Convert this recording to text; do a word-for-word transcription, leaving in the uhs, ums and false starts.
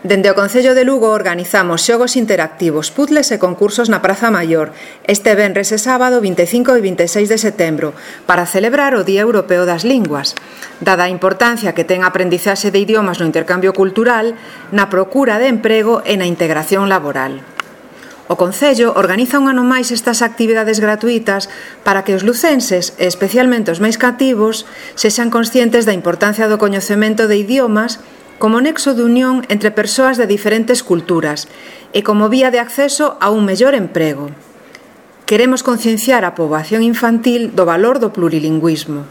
Dende o Concello de Lugo organizamos xogos interactivos, puzzles e concursos na Praza Maior este venres e sábado vinte e cinco e vinte e seis de setembro para celebrar o Día Europeo das Linguas, dada a importancia que ten a aprendizaxe de idiomas no intercambio cultural, na procura de emprego e na integración laboral. O Concello organiza un ano máis estas actividades gratuitas para que os lucenses, e especialmente os máis cativos, sexan conscientes da importancia do coñecemento de idiomas como nexo de unión entre persoas de diferentes culturas e como vía de acceso a un mellor emprego. Queremos concienciar a poboación infantil do valor do plurilingüismo.